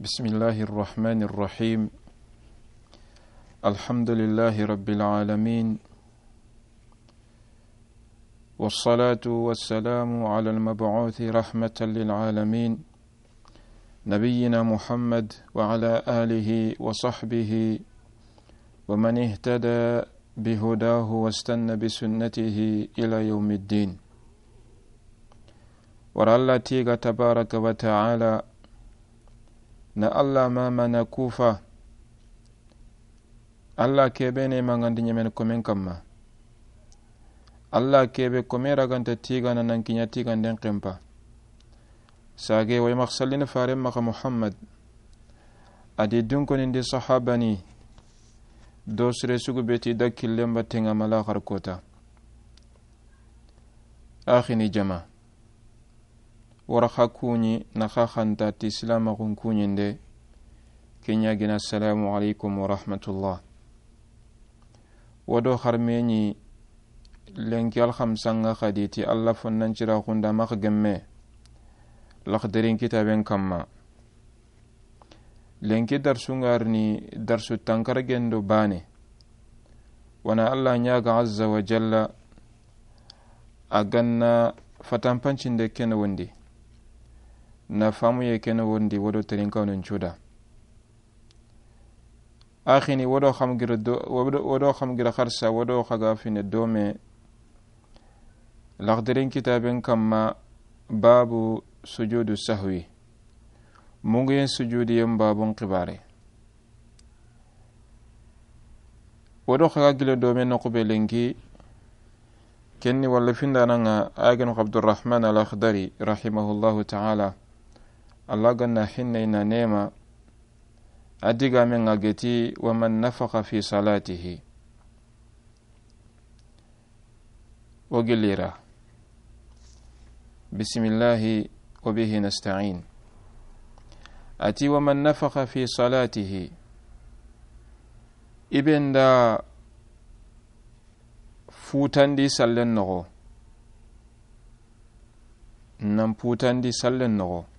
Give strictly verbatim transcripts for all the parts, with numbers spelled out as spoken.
بسم الله الرحمن الرحيم. الحمد لله رب العالمين. والصلاة والسلام على المبعوث رحمة للعالمين، نبينا محمد وعلى آله وصحبه ومن اهتدى بهداه واستنى بسنته إلى يوم الدين. Wara Alla tiiga tabaraka wa taala, na Alla mama na kufa, Alla kebe ne mangandi ɲemen komen kamma. Alla kebe kome raganta tiigana nan kiɲa tiiganden kempa. Sage way maxa sallini faren maxa Muhammad, a di dunkonindi sahabani, do sire sugu beti da killen battenga malaxar kota. Axini jama. Wara xa kuɲi na xa xanta ti silamaxun kuɲinde, ke ɲa gina, assalamu alaikum wa rahmatullah. Wodo xarmeɲi lenki alxamsanga xadi ti Alla fonnancira xunda maxa gemme, Laxdarin kitaben kamma. Lenki darsu ŋarini darsu tankaragendo bane. Wana Alla ɲaga azza wa jalla, a ganna fatanpancinde kene wondi, na famuye kene wondi, wodo terinkanun cuda. Axini wodo xam gira do, wodo, wodo xam gira xarsa, wodo xaga fine dome. Laxdarin kitaben kamma, babu sujudu sahwi. Munguyen sujudiyen babun xibare. Wodo xaga gile dome noxu be lenki, kenni walla findananga, a genu Abdurrahman al-Akhdari, rahimahullahu ta'ala. Alla ganna hinne ina nema, a digamen ŋa geti, wa man nafakha fi salatihi. O gilira. Bismillahi wa bihi nasta'in. A ti, wa man nafakha fi salatihi. Ibe nda futandi sallen noxo. Nan futandi sallen noxo.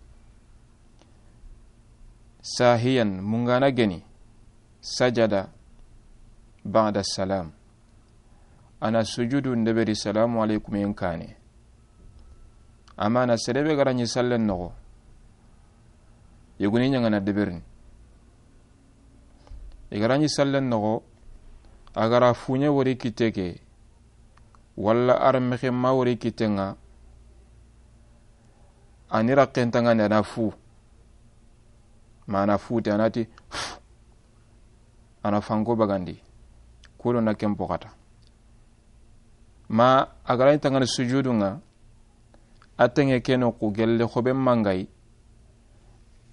Sahiyan, mungana geni. Sajada ba'da salam. A na sujudu ndeberi salamu alaikum yen kane. Amma na serebe ga ra ɲi sallen noxo, yogoni ɲangana deberini. I ga ra ɲi sallen noxo, a ga ra fuɲe wori kitte ke, walla armexe ma wori kitte ŋa, a ni raxentangani a na fu. Ma a na fute, a na ti, a na fanko bagandi. Kudo na ken poxata. Ma a ga ra ɲi tangani sujudu ŋa, a tenge ke noxu gelle xobe mangayi,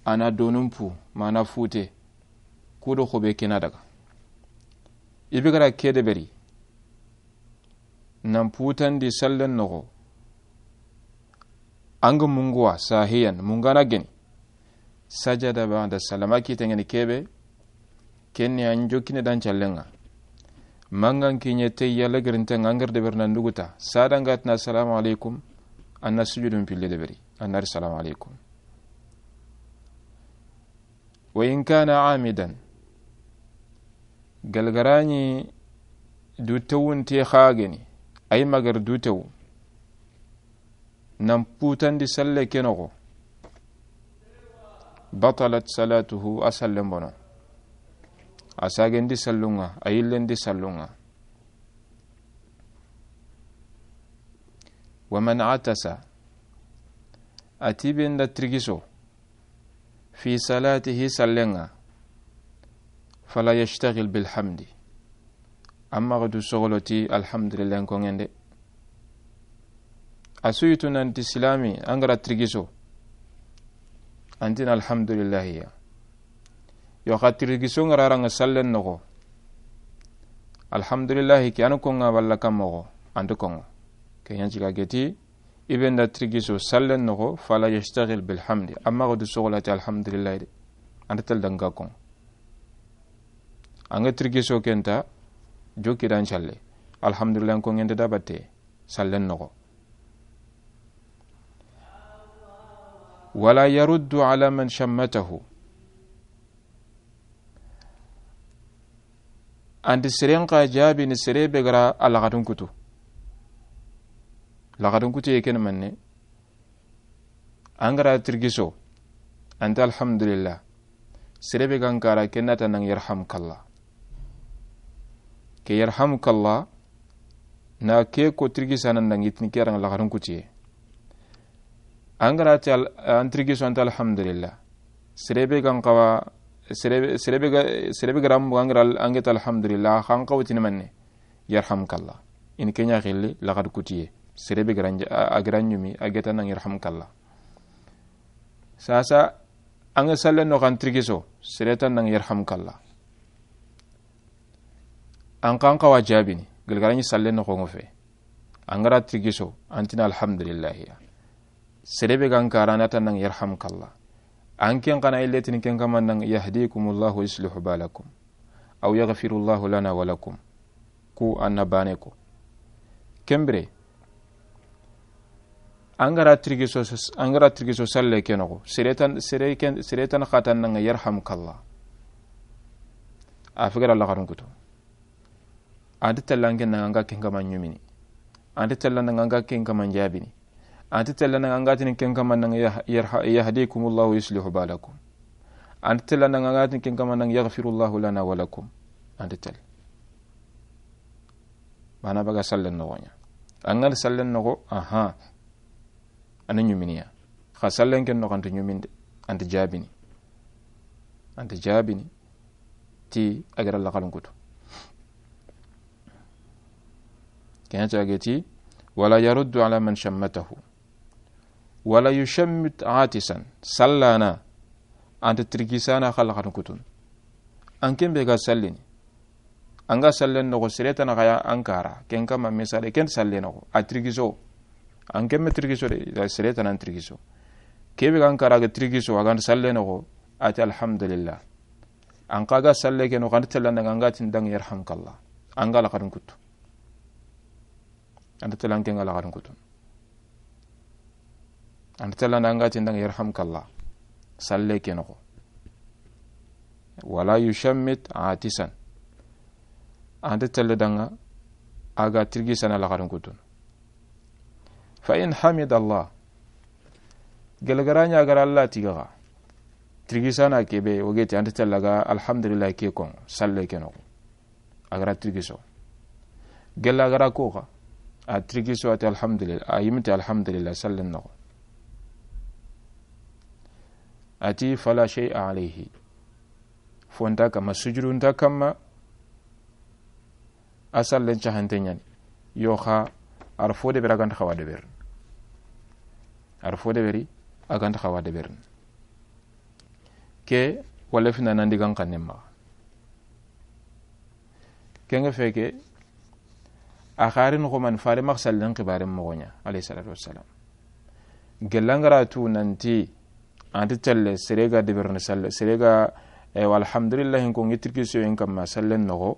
a na donun pu, ma a na fute, kudo xobe kena daga. Ibe ga ra ke deberi, nan futandi sallen noxo, anga munguwa sahiyan, mungana geni. Sajada ba'da salama kitengeni kebe, kenni an jokine dan callenga. Mangan kinye te yalla gerintenga, an gar deberna nduguta. Sada nga tina assalamu alaikum, an na sujudun pille deberi, an na ri salamu alaikum. Wa in kana amidan, galgarani dutewunte xageni, ay magar dutewu, nan futandi salle ke noxo, batalat salatuhu, a sallen bono. A sagendi sallunga, a yillendi sallunga. Wa man atasa, a ti be nda tirgiso, fi salatihi, sallenga, fala yashtagil bil hamdi. Amma ga du sogoloti alhamdulillah ko ngende. A suyitu nanti silami angara tirgiso, antin alhamdulillahi ya. Yo xa tirgiso ngararanga sallen noxo, alhamdulillahi ke an konga walla kam moxo, anti konga. Ke yanci ga geti, ibe nda tirgiso sallen noxo, fala yashtagil bil hamdi. Amma ga du sogolati alhamdulillahi de. Anta tel danga kon. Anga tirgiso kenta, joki dan challe. Alhamdulillah ko ngende da batte, sallen noxo. Wala yaruddu ala man shammatahu. An ti seren xa jaabini sere be ga ra a laxadun kutu. Laxadun kutiye ken manne, an ga ra tirgiso, an ti alhamdulillah. Sere be ga n kara, ken na ti an da yarhamkallah. Ke yarhamkallah, na ke ko tirgisana n da ŋa i ti ni ke ra ŋa laxadun kutiye. An ga ra ti al-, an tirgiso, an ti alhamdulillah. Sere be ga n xawa, sere be, sere be ga, sere be ga ra mu, an ga ra al-, an ga ti alhamdulillah, xa an xawa ti ni manne, yarhamkallah. I ni ke ɲa xilli laxadun kutiye. Sere be ga ra n ja-, a, a ga ra ɲumi, a ga ti an da yarhamkallah. Sasa, an ga sallen noxo an tirgiso, sere ti an da yarhamkallah. An xa an xawa jaabini, gilli ga ra ɲi sallen noxo ŋa fe. An ga ra tirgiso, an ti ni alhamdulillah ya. Sere be ga n kara, na ti an da yarhamkallah. An ken xa na yille ti ni ken kama n da yahdikumullahu yuslihu balakum. Aw yaghfirullahu lana wa lakum. Ku an na baane ko. Ken bire, an ga ra tirgiso, an ga ra tirgiso salle ke noxo, sere ti an, sere ken, sere ti an xa ti an da yarhamkallah. A fi ga ra laxadun kutu. An ti tella n ke na ŋa an ga ken kama ɲumini. An ti tella n ke na ŋa an ga ken kama jaabini. An ti tella n ke na ŋa an ga ti ni ken kama n da yah-, yarha-, yahdikumullahu yuslihu balakum. An ti tella n ke na ŋa an ga ti ni ken kama n da yaghfirullahu lana wa lakum. An ti tella. Bana baga sallen noxo ɲa. An ga sallen noxo, aha. An na ɲumini ya. Xa sallen ken noxo an ti ɲumini de. An ti jaabini. An ti jaabini. Ti a ga ra laxadun kutu. Ken ɲa ti a ga ti, wala yaruddu ala man shammatahu. Wala yushammit atisan. Sallana. An ti tirgisana xa laxadun kutun. An ken be ga sallini. An ga sallen noxo, sere ti an xa ya an kara. Ken kama misale, ken salle noxo. A tirgiso. An ken me tirgiso de, sere ti an tirgiso. Ke be ga n kara ga tirgiso, a ga n sallen noxo, a ti alhamdulillah. An xa ga salle ke noxo, an ti tella n ke na ŋa an ga ti ni da yarhamkallah. An ga laxadun kutu. An ti tella n ke ŋa laxadun kutu. An ti tella n ke na ŋa an ga ti ni da yarhamkallah. Salle ke noxo. Wala yushammit atisan. An ti tella da ŋa a ga tirgisana laxadun kutun. Fa in hamidallah. Gilli ga ra ɲa a ga ra Allah tiga xa. Tirgisana ke be, o ga ti an ti tella ga alhamdulillah ke ko, salle ke noxo. A ga ra tirgiso. Gilli a ga ra ko xa. A tirgiso a ti alhamdulillah. A yimiti alhamdulillah, sallen noxo. A ti fala shay'a alayhi. Fo nta kama, sujudu nta kama. A sallen caxante ɲa ni. Yo xa, a ra fo deberi a ga nta xawa deberini. A ra fo deberi a ga nta xawa deberini. Ke, wala fina nan digan xannen maxa. Ken ŋa fe ke, a xari noxo mani, fare maxa sallen xibaren moxo ɲa, alayhi salatu wassalam. Gilli an ga ra tu nanti, an ti telle, sere ga deberini salle, sere ga, eh, alhamdulillahi ko ŋa i tirgiso yen kama sallen noxo.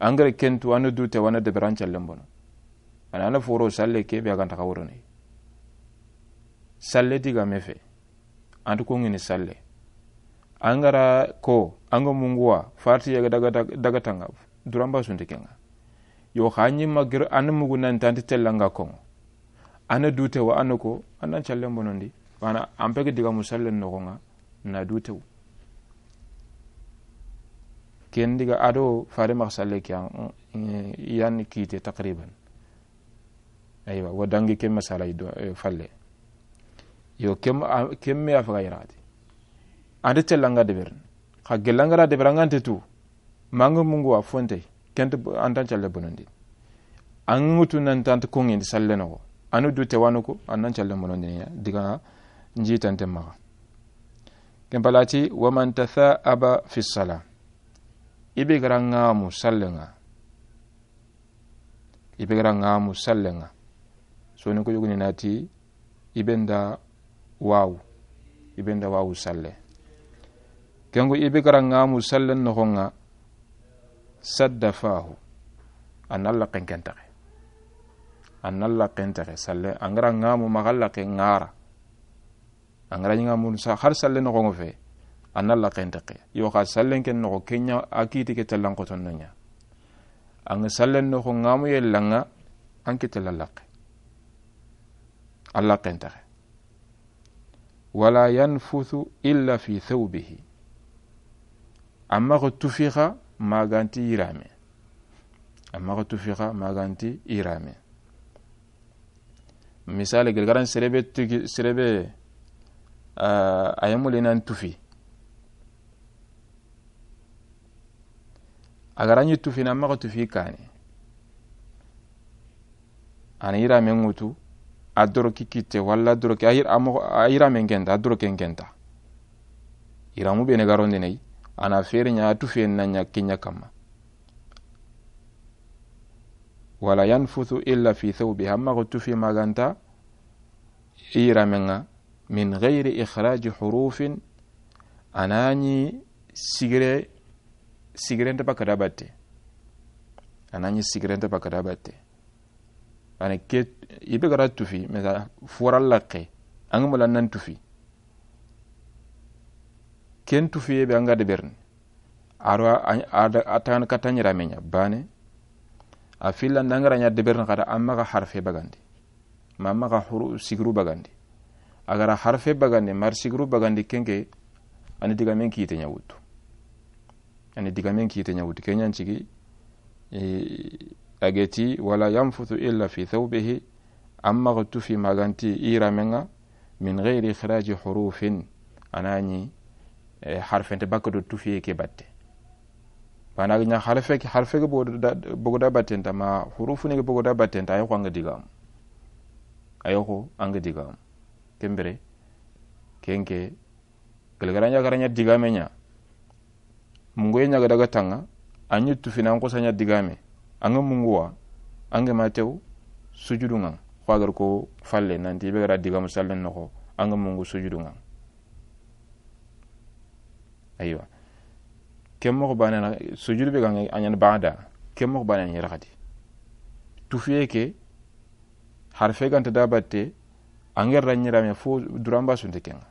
An ga ra ken tu, an na du te, wa an na deberi, an callen bono. A na, an na foro salle ke be a ga nta xa worono. Salle digame fe. An ti ko ŋini salle. An ga ra ko, an ga mungu wa, farti ya ga daga, daga, daga tanga, duran ba su nta ke ŋa. Yo xa ɲi ma gir, an na mugu nan ti an ti telle an ga ko ŋa. An na du te wa, an na ko, an na an callen bonondi. Wana, an pege digamu sallen noxo ŋa, na du te wu. Ken diga a do fare maxa salle ke yan, eh, yan kite taqriban. Aywa, wa dangi ke masala i do, eh, falle. Yo, kem, a, kem me a faga yirati. An ti telle an ga deberini. Xa gilli an ga ra deberi an ga nta tu. Ma an ga mungu wa fo nta yi. Ken nta, an nta an calle bonondi. An ŋa tu nan ti an ti ko ŋa i salle noxo. An na du te wa an na ko, an na an calle bonondi ya. Diga n ji tante maxa. Ken pala ti, wa man tatha'aba fi sala. I be ga ra ŋamu salle ŋa. I be ga ra ŋamu salle ŋa. Soni ko yogoni na ti, i be nda wawu. I be nda wawu salle. Ken ŋa i be ga ra ŋamu sallen noxo ŋa, sadda fahu. An na laqqen ken taxe. An na laqqen taxe salle. An ga ra ŋamu maxa laqqe ŋara. An ga ra ɲi ŋamu sa, har salle noxo ŋa fe. a na laqqen teqe. Yo xa sallen ken noxo ke ɲa a kiti ke tellan xoton no ɲa. An ga sallen noxo ŋamu yella ŋa, an ke tella laqqe. A laqqen teqe. Wala yanfuthu illa fi thawbihi. A maxa tufi xa ma ga nti yirame. A maxa tufi xa ma ga nti yirame. Misali, gilgaran serebe tugi, serebe, ah, a yemuli nan tufi. A ga ra ɲi tufi na, a maxa tufi kane. A na yirame ŋutu, a doroki kitte, walla a doroki, a yir-, a moxo, a yirame ŋenta, a doroke ŋenta. Yiramu bene ga rondi ne yi, a na fere ɲa, a tufiyen na ɲa ke ɲa kamma. Wala yanfuthu illa fi thawbihi, a maxa tufi ma ga nta i yirame ŋa, min ghayri ikhraji hurufin, a na ɲi sigire, sigirente bakka da batte. A na ɲi sigirente bakka da batte. Ani ke, i be ga ra tufi, mesa fora laqqe, an ga mula nan tufi. Ken tufiye be an ga deberini. A ro a, a, a, a tan kata ɲirame ɲa, bane. A filla nda an ga ra ɲa deberini xada, a maxa harfe bagandi. Ma a maxa huru sigiru bagandi. A ga ra harfe bagandi, ma a ra sigiru bagandi, ken ke, a ni digamen kite ɲa wutu. A ni digamen kite ɲa wutu. Ke ɲa n cigi, e, a ga ti, wala yanfuthu illa fi thawbihi, a maxa tufi ma ga nti i yirame ŋa, min ghayri ikhraji hurufin, a na ɲi, e, harfente bakka do tufiye ke batte. Bana ga ɲa harfe ke, harfe ke bogu da, bogu da batte nta, ma hurufu ni ke bogu da batte nta, a yoxo an ga digamu. A yoxo an ga digamu. Ken bire, ken ke, gilgaran ɲa ga ra ɲa digame ɲa. Munguye ɲa ga daga tanga, a ɲi tufi na an xosa ɲa digame. An ga mungu wa, an ga ma tew sujudu ŋa. Xo a ga ra ko falle, nanti i be ga ra digamu sallen noxo, an ga mungu sujudu ŋa. Aywa. Ken moxo bane na, sujudu be ga ŋa a ɲa ni bada. Ken moxo bane na ɲi raxati. Tufiye ke, harfe ga nta da batte, an ga ra ɲirame fo duramba sunte ke ŋa.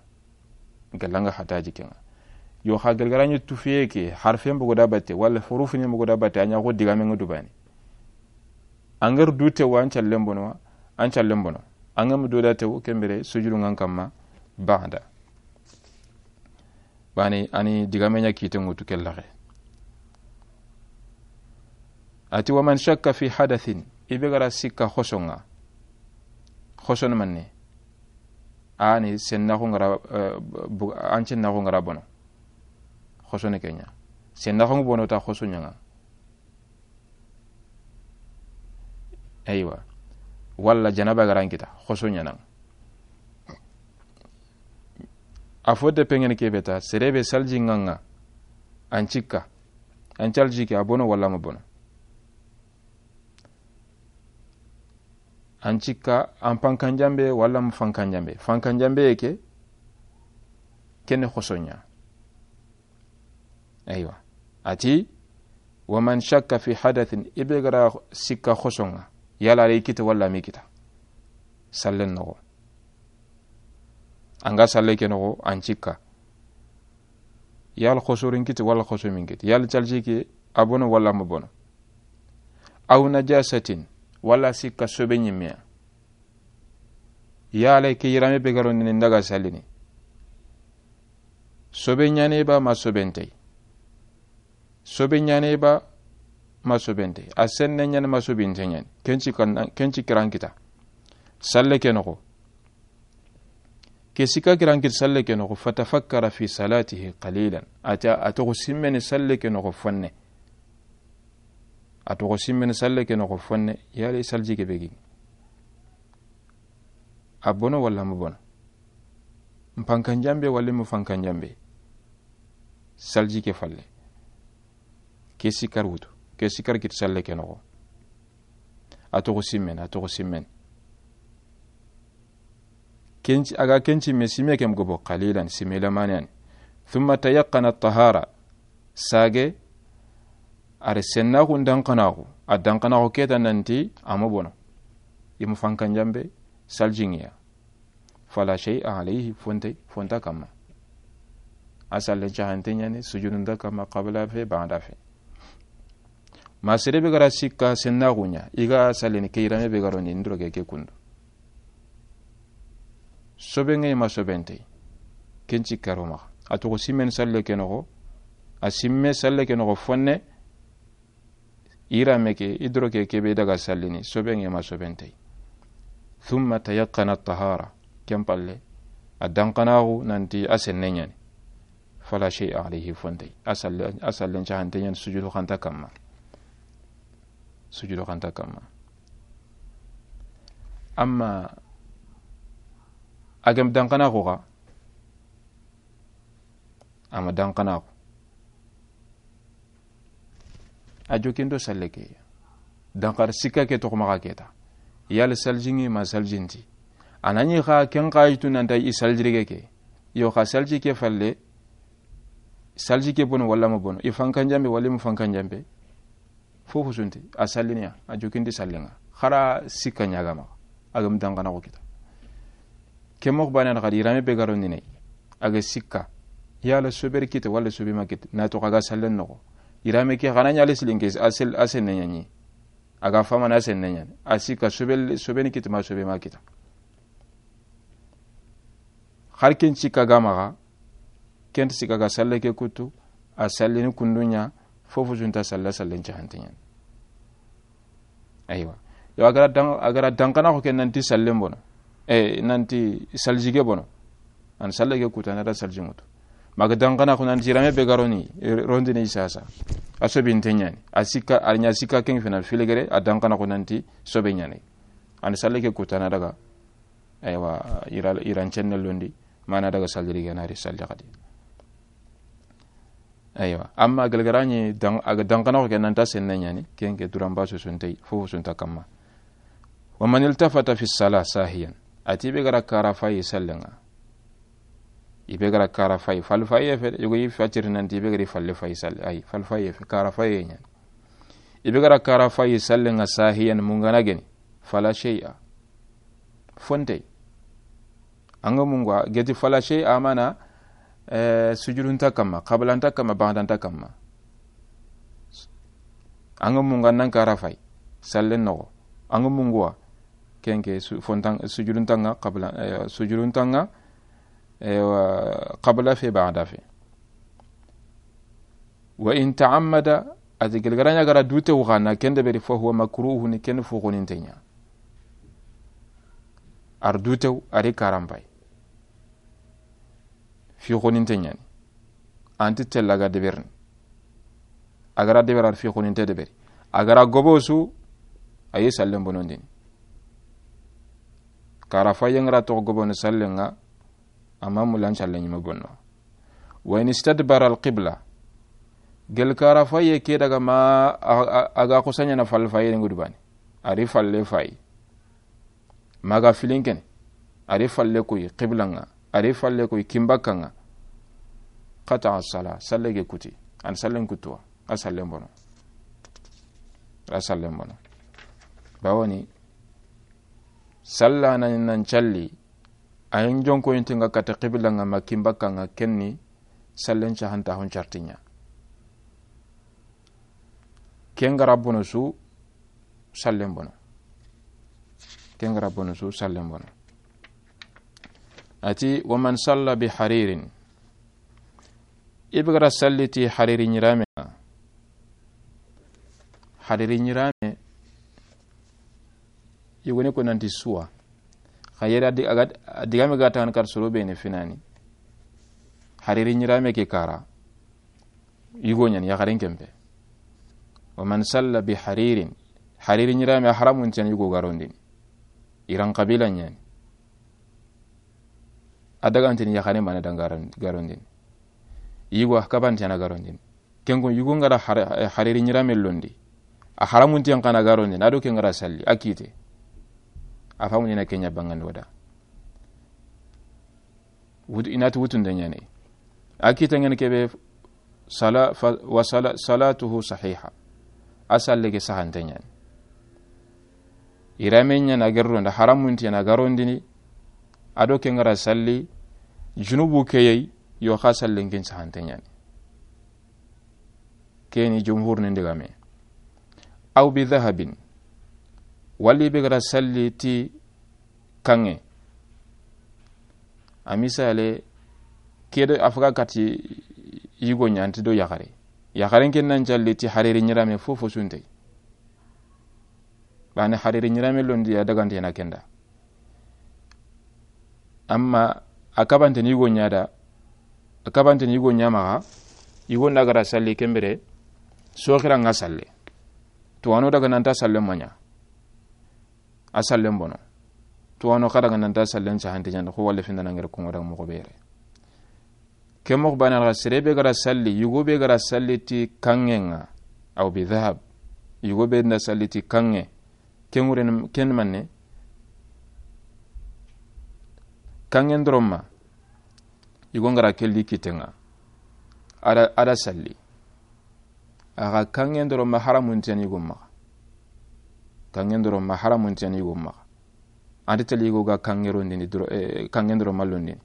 Galla an ga hataji ke ŋa. Yo xa gilgaran ɲi tufiye ke, harfe mbogu da batte, wala hurufu ni mbogu da batte, a ɲa xo digame ŋa dubani. An ga ra du tewa, an callen bono, an callen bono. An ga ma du da tew, ken bire, sujudu ŋa an kamma, bada. Bani, a ni digame ɲa kite ŋutu ke laxe. A ti, wa man shakka fi hadathin, i be ga ra sikka xoso ŋa. Xoso ni manne. A ni sennaxu ŋa ra, eh, bu-, an sennaxu ŋa ra bono. Xoso ni ke ɲa. Sennaxu ŋa bono ta xoso ɲa ŋa. Aywa. Walla janaba ga ra an kita, xoso ɲa na ŋa. A fo de pengene ke be ta, serebe salji ŋa ŋa, an cikka, an calji ke a bono walla ma bono. An cikka, an pankanjambe walla ma fankanjambe. Fankanjambe ye ke, kene xoso ɲa. Aywa. A ti, wa man shakka fi hadathin, i be ga ra sikka xoso ŋa, yala a ri kita walla mi kita. Sallen noxo. An ga salle ke noxo, an cikka. Yala xoso ri n kiti walla xoso mi n kiti. Yala calji ke a bono walla ma bono. Aw najasatin, walla sikka sobe ɲimme ya. Yala ke yirame be ga ro ni n daga sallini. Sobe ɲa ni ba ma sobe nte yi. Sobe ɲa ni ba ma sobe nte yi. A senne ɲa ni ma sobe nte ɲa ni. Ken ci kan, ken ci kiran kita. Salle ke noxo. Ke sikka kiran kita salle ke noxo. Fatafakkara fi salatihi qalilan. A ta, a toxo simmeni salle ke noxo fonne. A toxo simmeni salle ke noxo fonne, yali salji ke be gi. A bono walla ma bono. N pankanjambe walla ma fankanjambe. Salji ke falle. Ke sikar wutu. Ke sikar kit salle ke noxo. A toxo simmen, a toxo simmen. Kenci, a ga kenci me sime kem gobo qalilan, sime lamanen. Thumma tayaqqana at-tahara. Sage, a ri sennaxu danqanaxu, a danqanaxu ke ta nanti a ma bono. I ma fankanjambe, salji ŋa ya. Fala shay'a alayhi, fonte, fonta kamma. A sallen caxante ɲani, sujudun ta kamma, qabla fe, ba'da fe. Ma sere be ga ra sikka sennaxu ɲa, i ga sallini ke yirame be ga ro ni, i doroke ke kundu. Sobe ŋa yi ma sobe nta yi, ken ci karo maxa. A toxo simmen salle ke noxo, a simme salle ke noxo fonne, yirame ke, i doroke ke be daga sallini, sobe ŋa yi ma sobe nta yi. Thumma tayaqqana tahara, ken palle, a danqanaxu nanti a senne ɲani. Fala shay'a alayhi, fo nta yi. A salle, a sallen caxante ɲani sujudu xanta kamma. Sujudu xanta kamma. Amma a gem danqanaxu xa, a ma danqanaxu. A jokindo salle ke. Danqar sikka ke toxo maxa keta. Yalla salji ŋa yi ma salji nta yi. A na ɲi xa ken xa yitu nanta i saljirige ke. Yo xa salji ke falle, salji ke bono walla ma bono. I fankan jambe walla i ma fankan jambe. Fofo su nta yi, a sallini ya, a jokindi sallen ŋa. Xara sikka ɲa ga maxa, a gem danqanaxu kita. Ke moxo bane na xadi, yirame be ga ro ni ne, a ga sikka, yalla sobe ri kita walla sobe ma kita, na toxo a ga sallen noxo. Yirame ke xa na ɲa le silinke, a sel-, a senne ɲani. A ga famana a senne ɲani. A sikka sobe, sobe ni kita ma sobe ma kita. Xar ken sikka ga maxa, ken ti sikka ga salle ke kutu, a sallini kundu ɲa, fofo su nta salla, sallen caxante ɲani. Aywa. Yo, a ga ra dan-, a ga ra danqanaxu ke nanti sallen bono. E, nanti saljige bono. An salle ke kutu, a na da salji ŋutu. Ma ga danqanaxu nanti yirame be ga ro ni, e, ro ndi ni sasa. A sobe nta ɲani. A sikka, a ɲa sikka ken fina filigere, a danqanaxu nanti sobe ɲani. An salle ke kutu, a na daga Aywa, yira, yiran cenne londi, ma na daga salliri ga na ri salli xadi. Aywa, amma gelgara ɲi dan-, a ga danqanaxu ke nanta senne ɲani, ken ke duran ba su su nta yi, fofo su nta kamma. Wa man iltafata fi sala sahiyan. A ti be ga ra kara fayi sallen ŋa. I be ga ra kara fayi, fal fayi fe, yogo yi fatiri nanti i be ga ri falle fayi salli, ay, fal fayi fe, kara fayi ɲani. I be ga ra kara fayi sallen ŋa sahiyan, mungana geni, fala shay'a. Fo nta yi. An ga mungu a geti fala shay'a, mana, eh, sujudun ta kamma, qabla nta kamma, ba'da nta kamma. An ga mungu a nan kara fayi sallen noxo. An ga mungu a ken ke su-, fo ntan-, sujudun ta ŋa qabla, eh, sujudun ta ŋa, eh, wa qabla fe, ba'da fe. Wa in ta'ammada, a ti gelgara ɲa ga ra dute wu xa na ken deberi, fa huwa makruhu, ni ken fo xoninte ɲa. A ra dute wu, a ri karan fayi. Fi xoninte ɲani. Anti tella ga deberini. A ga ra deberi, a ra fi xoninte deberi. A ga ra gobo su, a yi sallen bonondini. Kara fayi ŋa ra toxo gobono sallen ŋa, amma mulan sallen ɲi ma bonno. Wa in istadbara al qibla. Gel kara fayi ke daga ma a, a, a ga xosa ɲana fal fayi ri ŋudu bani. A ri falle fayi. Ma ga filin kene. A ri falle koyi qibla ŋa. A ri falle koyi kimbakka ŋa. Qata'a sala. Salle ke kuti. An sallen kutu wa. A sallen bono. A sallen bono. Bawoni. Salla nan, nan calli. A yin jonko yinti ŋa kata qibla ŋa ma kimbakka ŋa, ken ni sallen caxantaxun carti ɲa. Ken ga ra bono su, sallen bono. Ken ga ra bono su, sallen bono. A ti, wa man salla bi haririn. I be ga ra salli ti hariri ɲirame. Hariri ɲirame. Yogoni ko nanti suwa. Xa yere a di-, a ga, a digame ga taxan kar soro be ne finani. Hariri ɲirame ke kara. Yigo ɲani, yaxaren kempe. Wa man salla bi haririn. Hariri ɲirame a haramun tiyan yigo ga rondini. Iran qabila ɲani. A dagantini yaxare mana dan garon-, garondini. Yigo a kaban tiyan a garondini. Ken ko yugo ŋa ra har-, hariri ɲirame londi. A haramun tiyan xa na garondini. A do ken ŋa ra salli. A kite. A famu ɲana ken ɲa bangandi wada. Wut-, i na ti wutunde ɲani. A kite ŋene kebe sala-, fa-, wa sala-, salatuhu sahiha. A salle ke sahante ɲani. Yirame ɲana gerro nda haramun tiyan a garondini. A do ken ŋa ra salli. Junubu ke yi. Yo xa sallen ken sahante ɲani. Keni jumhur ni ndigame. Aw bi dhahabin. Wali be ga ra salli ti kanŋe. A misale, ke do a faga kati yigo ɲa, a nti do yaxare. Yaxaren ken nan calli ti hariri ɲirame fofo sunte. Bane hariri ɲirame londi a dagante na kenda. Amma a kabante ni yigo ɲa da, a kabante ni yigo ɲa maxa, yigo nda ga ra salli ken bire, soxira ŋa salle. Tuwano daga nanta salle maɲa. A sallen bono. Tuwano xa daga nanta sallen sahante ɲani, xo wala findana ngere kongo daga moxo be yere. Ke moxo bane xa sere be ga ra salli, yigo be ga ra salli ti kanŋe ŋa, aw bi dhahab, yigo be nda salli ti kanŋe, ken ŋure ni, ken manne, kanŋe ndoroma, yigo nga ra kelli kitenŋa, a da, a da salli. Axa kanŋe ndoroma haramunten yigo maxa. Kanŋe ndoroma haramunten yigo maxa. Andi tali yigo ga kanŋe rondini dro, eh, kanŋe ndoroma londini.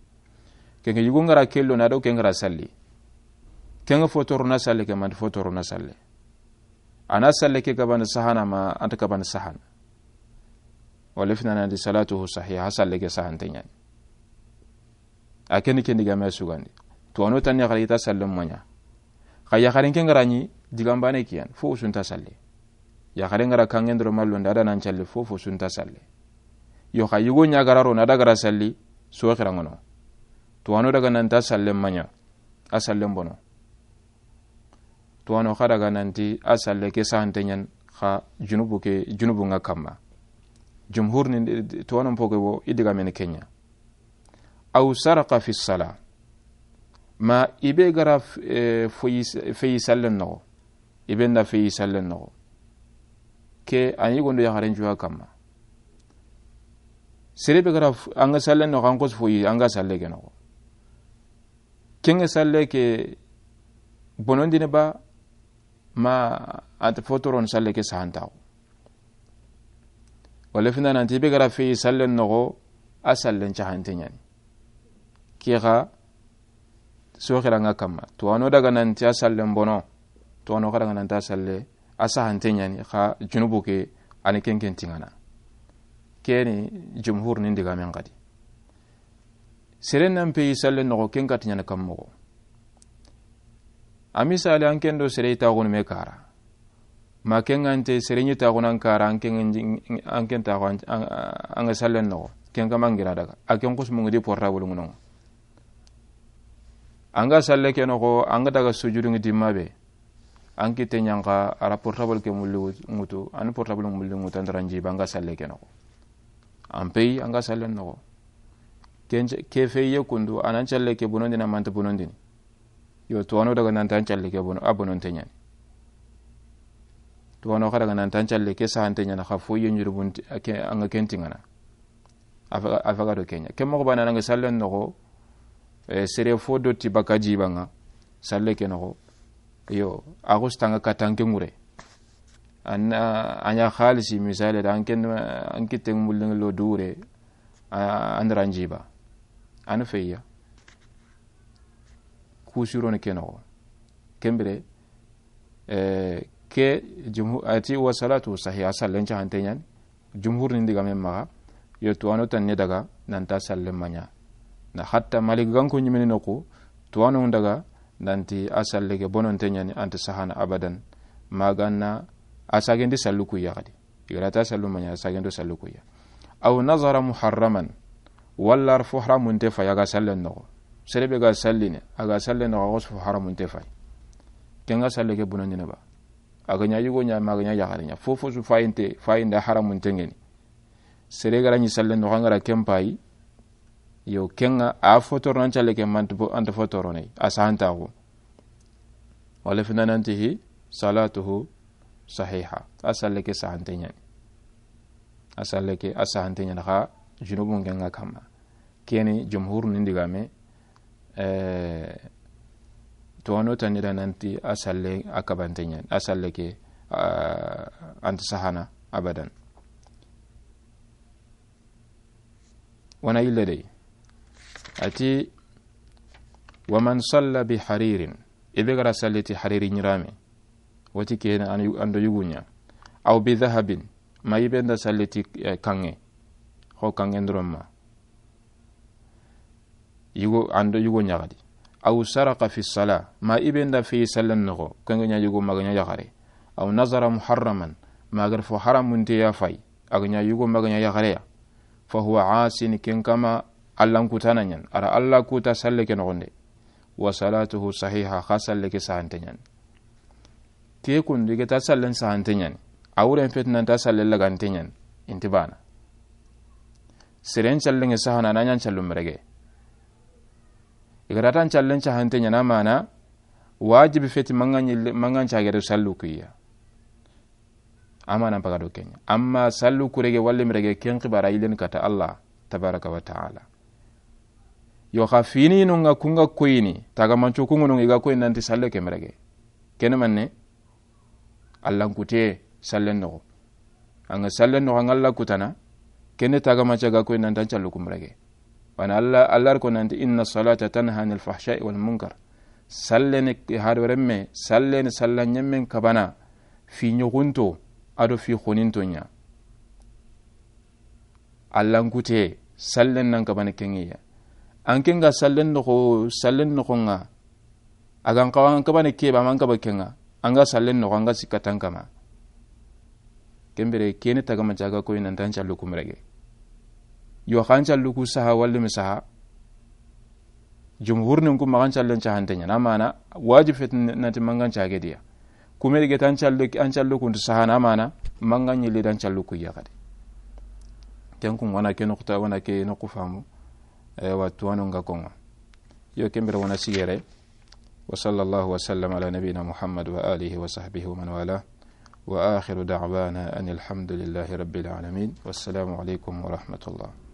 Kenŋe yigo nga ra kello na do ken ga ra salli. Kenŋe fotoro na salle ke mandi fotoro na salle. A na salle ke kabana sahana ma anta kabana sahana. Wala fina na di salatuhu sahiha, salle ke sahante ɲani. A keni kendi game sugandi. Tuwano tanni yaxare ita sallen maɲa. Xa yaxaren ke nga ra ɲi digambane kiyan, fo usunta salle. Yaxaren nga ra kanŋe ndoroma londi a da nan calli fofo sunta salle. Yo xa yigo ɲa ga ra ro na da ga ra salli, soxira ŋono. Tuwano daga nanta sallen maɲa, a sallen bono. Tuwano xa daga nanti a salle ke sahante ɲani, xa junubu ke, junubu nga kamma. Jumhur ni tuwano mpoke wo i digameni ke ɲa. Aw saraqa fi sala. Ma i be ga ra f-, eh, foyi s-, feyi sallen noxo. I be nda feyi sallen noxo. Ke a ni gondo yaxaren juwa kamma. Sere be ga ra f-, anga sallen noxo, an kos foyi, anga salle ke noxo. Kenŋe salle ke bonondini ba, ma anta fotoron salle ke sahantaxu. Wala fina nanti i be ga ra feyi sallen noxo, a sallen cahante ɲani. Ke xa soxira nga kamma. Tuwano daga nanti a sallen bono. Tuwano xa daga nanti a salle, a sahante ɲani, xa junubu ke, a ni kenken tiŋana. Keni jumhur ni ndigamen xadi. Sere nan peyi sallen noxo, ken kati ɲana kam moxo. A misali, an ken do sere taxunu me kara. Ma ken ŋa nte sere ɲi taxunu an kara, an ken, an ken taxu an, an, an ga sallen noxo. Ken kama ngira daga. A ken xusmu ngidi portable ŋuno. An ga salle ke noxo, an ga daga sujudu ngi dimma be. An kitte ɲanka, a ra portable ke mulli wut-, ŋutu, an portable mulli ŋutu, an da ra njiba, an ga salle ke noxo. An peyi, an ga sallen noxo. Ken ce-, ke feye kundu, a nan calle ke bonondini, a manta bonondini. Yo, tuwano daga nanta an calle ke bono, a bononte ɲani. Tuwano xa daga nanta an calle ke sahante ɲani, xa foye ɲurubunti, a ke, an ga ken tiŋana. A faga, a faga do ke ɲa. Ke moxo bana nanga sallen noxo, eh, sere fo dotti baka jiba ŋa, salle ke noxo. Yo, a xustanga katanke ŋure. An, a ɲa xalisi misale da an ken, an kitten mulling lo dure, a, an da ra njiba. An feya. Kusironi ke noxo. Ken bire, eh, ke jumhu-, ati wa salatu sahiha, sallen cahante ɲani. Jumhur ni ndigamen maxa, yo tuwano tanni daga, nanta sallen maɲa. Na hatta Malik ganko ɲimini noxu, tuwano daga, nanti a salle ke bononte ɲani, anta sahana abadan. Magana a sagendi sallu kuya xadi. I ga ra ta sallu maɲa, a sagendo sallu kuya. Aw nazara muharraman, walla ar fo haramunte fay, a ga sallen noxo. Sere be ga sallini, a ga sallen noxo, a ga fo haramunte fay. Ken ga salle ke bonondini ba. A ga ɲa yigo ɲa, ma a ga ɲa yaxare ɲa. Fofo su fayinte, fayinda haramunte ŋeni. Sere ga ra ɲi sallen noxo, an ga ra ken payi. Yo, ken ŋa a fotoro nan calle ke manta bo-, anta fotoro ne. A sahantaxu. Wala fina nanti hi, salatuhu sahiha. A salle ke sahante ɲani. A salle ke, a sahante ɲani xa, junubun ke ŋa kamma. Keni jumhur ni ndigame, eh, tuwano tanni da nanti a salle a kabante ɲani. A salle ke, ah, anta sahana abadan. Wana yille dey. Ati, Wa man salla bi haririn, i be ga ra salli ti hariri ɲirame, wati ke na an do yugu ɲa. Aw bi dhahabin, ma i be nda salli ti, eh, kanŋe, xo kanŋe ndoron ma. Yugo, an do yugo ɲaxadi. Aw saraka fi sala, ma i be nda fi sallen noxo, kanŋe ɲa yugo ma ga ɲa yaxare. Aw nazara muharraman, ma ga ra fo haramunte ya fay, a ga ɲa yugo ma ga ɲa yaxare ya. Fa huwa asin, ken kama Allan kutana ɲan. A ra Alla kuta salle ke noxonde. Wa salatuhu sahiha, xa salle ke sahante ɲan. Ke kundu i ga ta sallen sahante ɲan. A wuren feti nan ta sallen lagante ɲan. Inti bana. Seren sallen sahana na ɲan sallu merege. I ga ra tan sallen sahante ɲan, a mana wajibi feti mangan ɲille, mangan cagere sallu kuya. A mana paga do ken ɲa. Amma sallu kurege walli merege, ken xibara yilen kata Allah tabaraka wa ta'ala. Yo xa fini no nga kunga koyini, taga manco kunga no nga koyini nanti salle ke merege. Ken manne, Allan kute sallen noxo. An ga sallen noxo, an ga Alla kutana, ken taga manco ga koyini nanti an sallu ku merege. Wani Alla, Alla ko nanti, "Inna salata tanha anil fahsha'i wal munkar." Sallene hado remme, sallene sallan ɲemmen kabana, fi ɲogunto, ado fi xoninto ɲa. Allan kute, sallen nan kabana kenŋe ya. An ken ga sallen noxo, sallen noxo nga. A ga n xawa an kabana ke ba, man kaba kenŋa. An ga sallen noxo, an ga sikka tan kama. Ken bire, kene taga manco ga koyini nanti an sallu ku merege. Yo xa an sallu ku saha walli mi saha. Jumhur nin ku maxa an sallen sahante ɲan. A mana, wajib feti nanti mangan cage diya. Kume dige tan sallu, an sallu kuntu sahana, a mana, mangan ɲille dan sallu ku yaxadi. Ken kun wana ke noxuta, wana ke noxu famu. Eh, wa tuwanu nga konga. Yo ken bire wana sigere. Wa sallallahu wa sallam ala nabina Muhammad wa alihi wa sahbihi wa man wala. Wa akhiru da'wana anil hamdulillahi rabbil alamin. Wassalamu alaikum wa rahmatullah.